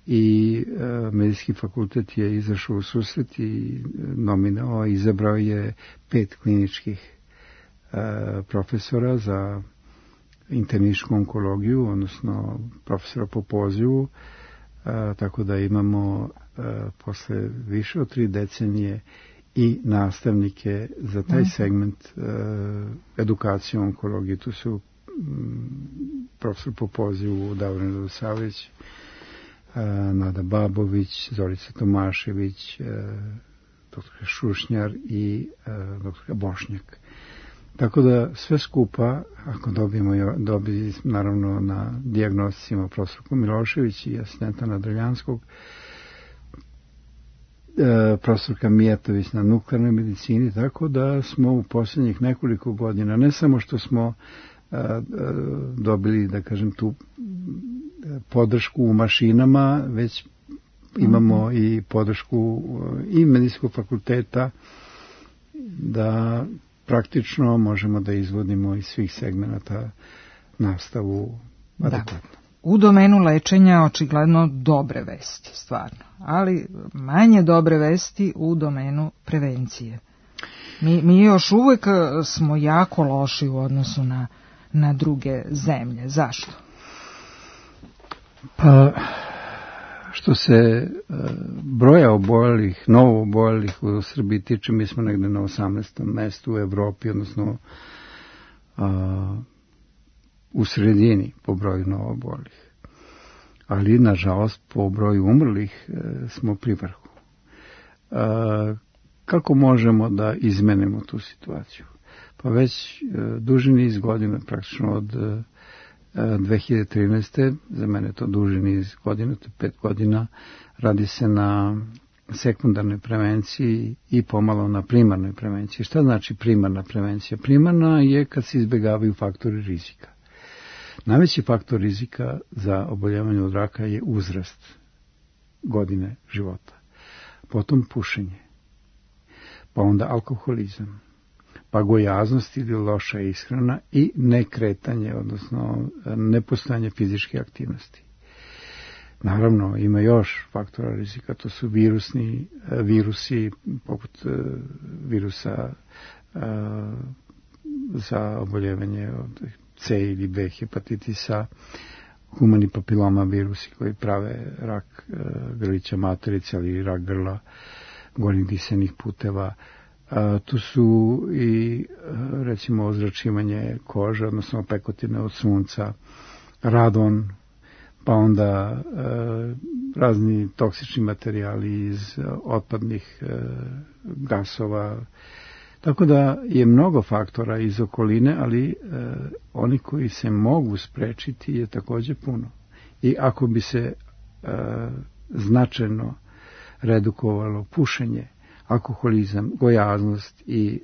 i Medicinski fakultet je izašao u susret i nominao, izabrao je 5 kliničkih profesora za internističku onkologiju, odnosno profesora po pozivu, tako da imamo posle više od 3 decenije i nastavnike za taj segment edukacije onkologije. Tu su profesor po pozivu Davorin Radosavljević, Nada Babović, Zorica Tomašević, dr. Šušnjar i dr. Bošnjak. Tako da sve skupa, ako dobili naravno na dijagnosticima profesor Milošević i asistenta Nadaljanskog, profesorka Mijatović na nuklearnoj medicini, tako da smo u posljednjih nekoliko godina, ne samo što smo dobili, da kažem, tu podršku u mašinama, već imamo i podršku i medicinskog fakulteta da praktično možemo da izvodimo iz svih segmenata nastavu adekvatno. U domenu lečenja očigledno dobre vesti, stvarno, ali manje dobre vesti u domenu prevencije. Mi još uvek smo jako loši u odnosu na druge zemlje. Zašto? Pa, što se broja oboljelih, novo oboljelih u Srbiji tiče, mi smo negde na 18. mestu u Evropi, odnosno u sredini po broju novo oboljelih. Ali, nažalost, po broju umrlih smo pri vrhu. Kako možemo da izmenimo tu situaciju? Pa već duži niz godina, praktično od 2013. za mene to duži niz godina, to je 5 godina, radi se na sekundarnoj prevenciji i pomalo na primarnoj prevenciji. Šta znači primarna prevencija? Primarna je kad se izbjegavaju faktori rizika. Najveći faktor rizika za oboljevanje od raka je uzrast, godine života. Potom pušenje, pa onda alkoholizam, pa gojaznost ili loša ishrana i nekretanje, odnosno nepostojanje fizičke aktivnosti. Naravno, ima još faktora rizika, to su virusi, poput virusa za oboljevanje od C ili B hepatitisa, humani papiloma virusi koji prave rak grlića materice ili rak grla, gornjih disenih puteva. Tu su i recimo ozračivanje kože, odnosno opekotine od sunca, radon, pa onda razni toksični materijali iz otpadnih gasova. Tako da je mnogo faktora iz okoline, ali oni koji se mogu sprečiti je također puno. I ako bi se značajno redukovalo pušenje, alkoholizam, gojaznost i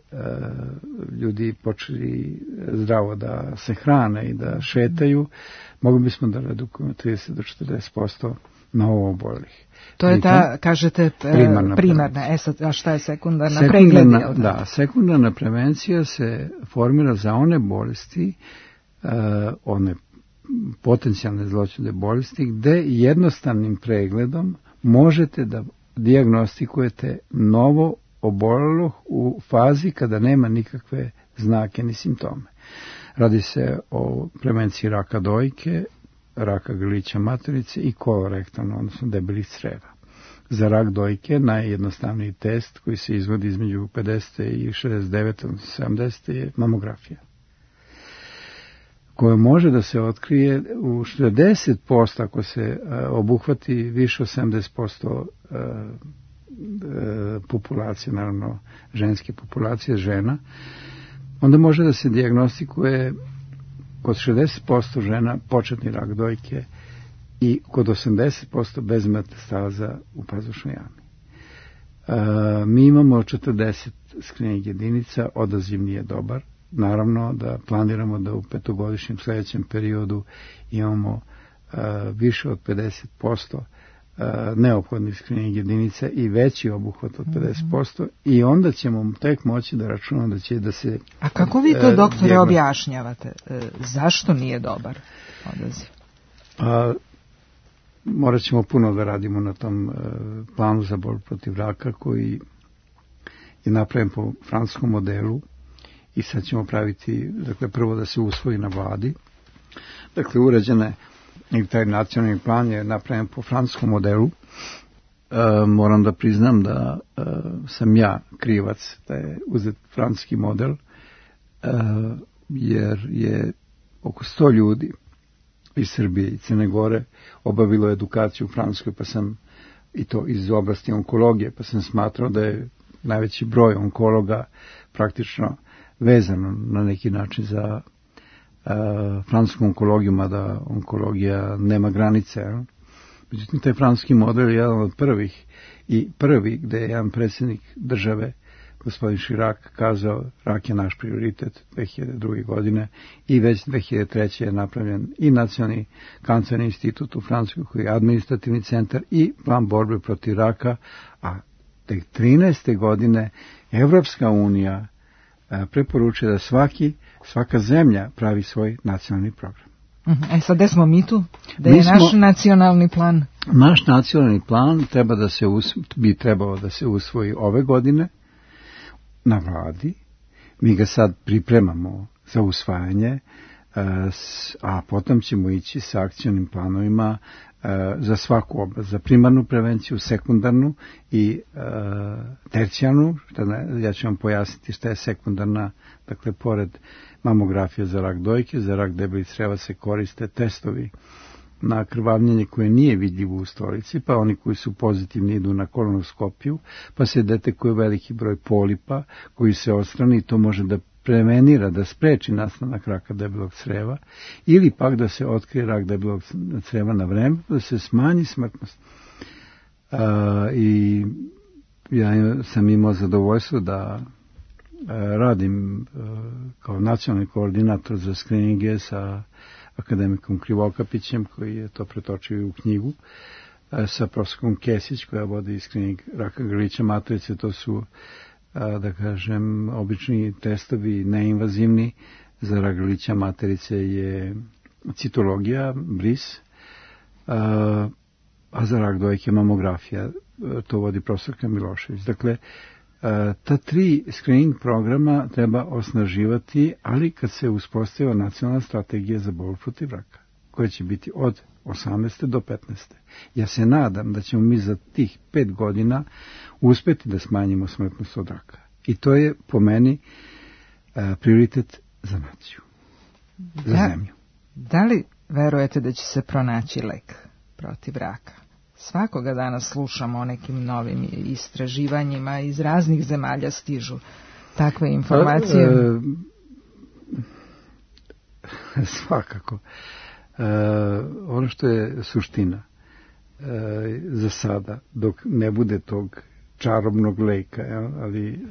ljudi počeli zdravo da se hrane i da šetaju, mogli bismo da redukujemo 30 do 40% novo oboljelih. To je ta, kažete, primarna. A šta je sekundarna? Da, sekundarna prevencija se formira za one bolesti, one potencijalne zloćudne bolesti, gde jednostavnim pregledom možete da dijagnostikujete novo obolelo u fazi kada nema nikakve znake ni simptome. Radi se o prevenciji raka dojke, raka grlića materice i kolorektalno, odnosno debelih creva. Za rak dojke najjednostavniji test koji se izvodi između 50. i 69. odnosno 70. je mamografija, koja može da se otkrije u 60% ako se obuhvati više od 70% populacije, naravno ženske populacije, žena, onda može da se dijagnostikuje kod 60% žena početni rak dojke i kod 80% bez metastaza u pazušnoj jami. Mi imamo 40 screening jedinica, odaziv nije dobar. Naravno da planiramo da u 5-godišnjem sljedećem periodu imamo više od 50% neophodnih screening jedinica i veći obuhvat od 50% i onda ćemo tek moći da računamo da će da se... A kako vi to, doktore, objašnjavate? Zašto nije dobar odaziv? Morat ćemo puno da radimo na tom planu za borbu protiv raka koji je napravljen po francuskom modelu i sad ćemo praviti, dakle, prvo da se usvoji na vladi. Dakle, uređene i taj nacionalni plan je napravljen po francuskom modelu. Moram da priznam da sam ja krivac da je uzet francuski model, jer je oko 100 ljudi iz Srbije i Crne Gore obavilo edukaciju u Francuskoj, pa sam, i to iz oblasti onkologije, pa sam smatrao da je najveći broj onkologa praktično vezano na neki način za francusku onkologiju, mada onkologija nema granice. Međutim, taj francuski model je jedan od prvih i prvi gde je jedan predsjednik države, gospodin Chirac, kazao rak je naš prioritet 2002. godine i već 2003. je napravljen i Nacionalni kancerni institut u Francuskoj koji je administrativni centar i plan borbe protiv raka, a tek 13. godine Evropska unija preporučuje da svaka zemlja pravi svoj nacionalni program. Sad gde smo mi tu? Da je naš nacionalni plan? Naš nacionalni plan bi trebao da se usvoji ove godine na vladi. Mi ga sad pripremamo za usvajanje, a potom ćemo ići sa akcionim planovima za svaku oblast, za primarnu prevenciju, sekundarnu i tercijarnu. Ja ću vam pojasniti šta je sekundarna, dakle pored mamografije za rak dojke, za rak debelih creva se koriste testovi na krvavljenje koje nije vidljivo u stolici, pa oni koji su pozitivni idu na kolonoskopiju, pa se detekuje veliki broj polipa koji se odstrani i to može da prevenira, da spreči nastanak raka debelog creva, ili pak da se otkrije rak debelog creva na vreme, da se smanji smrtnost. I ja sam imao zadovoljstvo da radim kao nacionalni koordinator za skrininge sa akademikom Krivokapićem, koji je to pretočio u knjigu, sa profesorom Kesić, koja vodi skrining raka grlića materice. To su, da kažem, obični testovi, neinvazivni. Za rak grlića materice je citologija, bris, a za rak dojke mamografija. To vodi profesorka Milošević. Dakle, ta 3 screening programa treba osnaživati, ali kad se uspostavila nacionalna strategija za borbu protiv raka, koja će biti od 18. do 15. Ja se nadam da ćemo mi za tih 5 godina uspeti da smanjimo smrtnost od raka. I to je po meni prioritet za naciju, za zemlju. Da li verujete da će se pronaći lek protiv raka? Svakoga dana slušamo o nekim novim istraživanjima, iz raznih zemalja stižu takve informacije. Svakako. Ono što je suština za sada, dok ne bude tog čarobnog leka, ali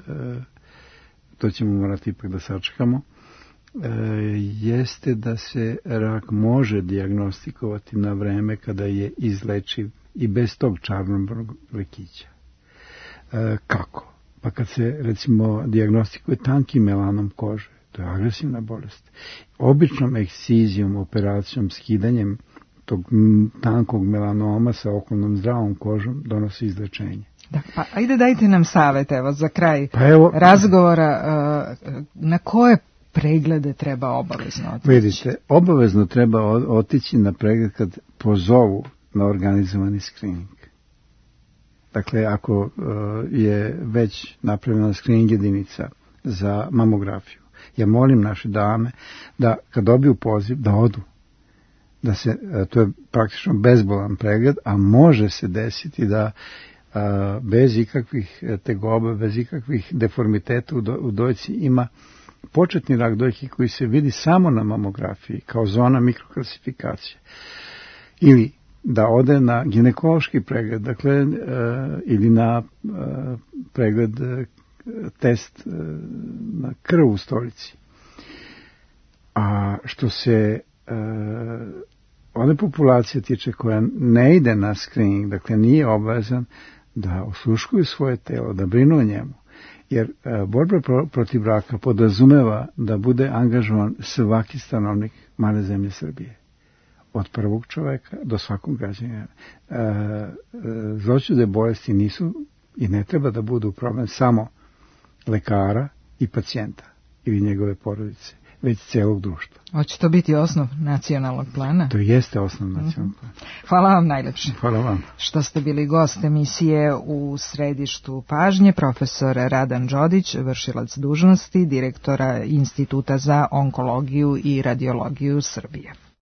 to ćemo morati ipak da sačekamo, jeste da se rak može dijagnostikovati na vreme kada je izlečiv i bez tog čarobnog lekića. Kako? Pa kad se, recimo, dijagnostikuje tanki melanom kože, to je agresivna bolest. Običnom ekscizijom, operacijom, skidanjem tog tankog melanoma sa okolnom zdravom kožom donosi izlečenje. Da, pa ajde dajte nam savjet, evo, za kraj razgovora, na koje preglede treba obavezno otići? Vidite, obavezno treba otići na pregled kad pozovu na organizovani screening. Dakle, ako je već napravljena screening jedinica za mamografiju, ja molim naše dame da kad dobiju poziv da odu. Da se, to je praktično bezbolan pregled, a može se desiti da bez ikakvih tegoba, bez ikakvih deformiteta u dojci ima početni rak dojke koji se vidi samo na mamografiji kao zona mikroklasifikacije. Ili da ode na ginekološki pregled, dakle, ili na pregled, test na krv u stolici. A što se one populacije tiče koja ne ide na screening, dakle nije obavezan da osluškuju svoje telo, da brinu o njemu. Jer borba protiv raka podrazumeva da bude angažovan svaki stanovnik male zemlje Srbije. Od prvog čoveka do svakog građanina. Zloćudne bolesti nisu i ne treba da budu problem samo lekara i pacijenta ili njegove porodice, već celog društva. Hoće to biti osnov nacionalnog plana? To jeste osnov nacionalnog plana. Hvala vam najlepše. Hvala vam. Što ste bili gost emisije U središtu pažnje, profesor Radan Đodić, vršilac dužnosti direktora Instituta za onkologiju i radiologiju Srbije.